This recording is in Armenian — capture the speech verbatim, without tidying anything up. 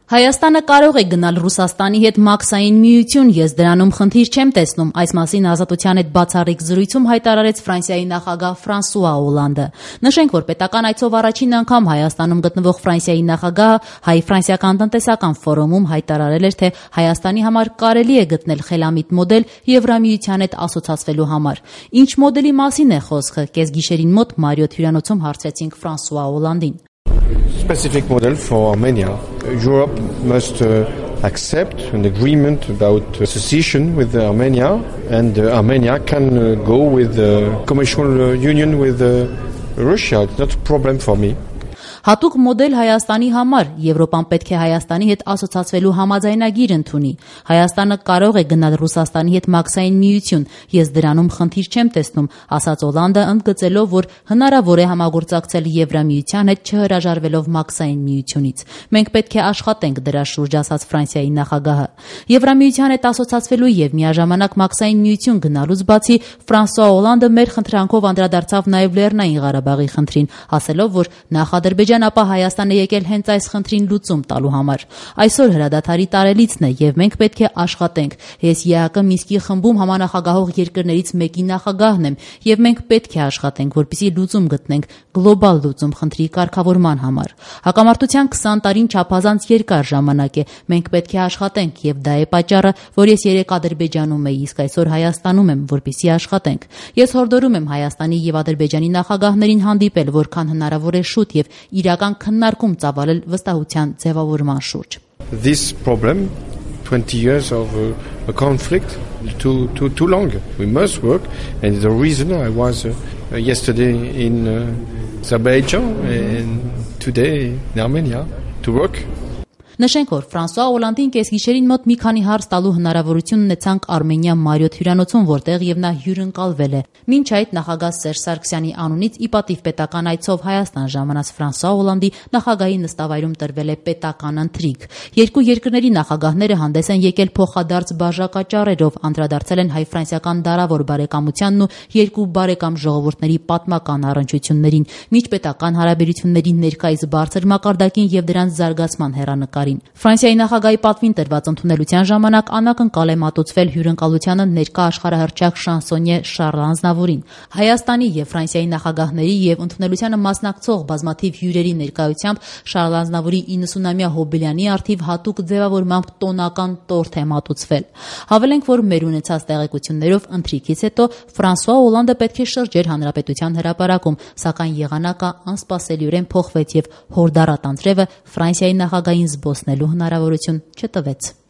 Հայաստանը կարող է գնալ Ռուսաստանի հետ մաքսային միություն, ես դրանում խնդիր չեմ տեսնում, այս մասին Ազատության հետ բացառիկ զրույցում հայտարարեց Ֆրանսիայի նախագահ Ֆրանսուଆ Օլանդը։ Նշենք, որ պետական այցով առաջին անգամ Հայաստանում գտնվող Ֆրանսիայի նախագահը հայ-ֆրանսիական տնտեսական ֆորումում հայտարարել էր, թե Հայաստանի համար կարելի է գտնել խելամիտ մոդել Եվրամիության հետ ասոցացվելու համար։ Ինչ մոդելի մասին է խոսքը, կեսգիշերին մոտ Մարիոթ հյուրանոցում հարցրեցինք Ֆրանսուଆ Օլանդին։ Specific model for Armenia. Europe must uh, accept an agreement about uh, secession with uh, Armenia, and uh, Armenia can uh, go with uh, commercial uh, union with uh, Russia. It's not a problem for me. Հատուկ մոդել Հայաստանի համար Եվրոպան պետք է Հայաստանի հետ ասոցացվելու համաձայնագիր ընդունի։ Հայաստանը կարող է գնալ Ռուսաստանի հետ մաքսային միություն, ես դրանում խնդիր չեմ տեսնում, ասաց Օլանդը, ընդգծելով, որ հնարավոր է համագործակցել Եվրամիության հետ չհրաժարվելով մաքսային միությունից։ Մենք պետք է աշխատենք դրա շուրջ, ասաց Ֆրանսիայի նախագահը։ Եվրամիության հետ ասոցացվելու եւ միաժամանակ մաքսային միություն գնալուց բացի Ֆրանսուଆ Օլանդը մեր խնդրանքով անդրադարձավ նաեւ Լեռնային Ղարաբաղի խնդրին, ասելով, որ նախ ապա Հայաստան է եկել հենց այս խնդրին լուծում տալու համար։ Այսօր հրադադարի տարելիցն է եւ մենք պետք է աշխատենք։ Ես ԵԱԿ Մինսկի խմբում համանախագահող երկրներից մեկի նախագահն եմ եւ մենք պետք է աշխատենք, որպեսզի լուծում գտնենք, գլոբալ լուծում խնդրի կարգավորման համար։ Հակամարտության քսան տարին չափազանց երկար ժամանակ է։ Մենք պետք է աշխատենք եւ դա է պատճառը, որ ես երեք Ադրբեջանում էի, իսկ այսօր Հայաստանում եմ, որպեսզի աշխատենք։ Ես հորդորում եմ Հայաստանի եւ Ադրբեջանի նախագահներին հանդիպել, որքան հնարավոր է շուտ եւ իրական քննարկում ծավալել վստահության ձևավորման շուրջ։ This problem, twenty years of uh, a conflict, too too too long. We must work, and the reason I was uh, yesterday in uh, Azerbaijan and today in Armenia to work. Նշենք, որ Ֆրանսուଆ Օլանդին կեսգիշերին մոտ մի քանի հարց տալու հնարավորություն ունեցանք Արմենիա Մարիոթ հյուրանոցում, որտեղ եւ նա հյուրընկալվել է։ Մինչ այդ նախագահ Սերժ Սարգսյանի անունից ի պատիվ պետական այցով Հայաստան ժամանած Ֆրանսուଆ Օլանդի նախագահի նստավայրում տրվել է պետական ընթրիք։ Երկու երկրների նախագահները հանդես են եկել փոխադարձ բաժակաճառերով, անդրադարձել են հայ-ֆրանսիական դարավոր բարեկամությանն ու երկու բարեկամ ժողովուրդների պատմական առնչություններին, միջպետական հարաբերությունների ներկայիս բարձր մակարդակին եւ դրանց զարգացման հեռանկարին։ Ֆրանսիայի նախագահի պատվին տրված ընդունելության ժամանակ անակնկալ է մատուցվել հյուրընկալությանը ներկա աշխարհահռչակ շանսոնյե Շարլ Ազնավուրին։ Հայաստանի եւ Ֆրանսիայի նախագահների եւ ընդունելությանը մասնակցող բազմաթիվ հյուրերի ներկայությամբ Շարլ Ազնավուրի իննսունամյա հոբելյանի առթիվ հատուկ ձևավորմամբ տոնական տորթ է մատուցվել։ Հավելենք, որ մեր ունեցած տեղեկություններով ընթրիքից հետո Ֆրանսուଆ Օլանդը պետք է շրջեր հանրապետության հրապարակում, սակայն եղանակը անսպասելիորեն փոխվեց եւ հորդառատ անձրևը Ֆրանսիայի նախագահին զբոսնելու հնարավորություն չտվեց։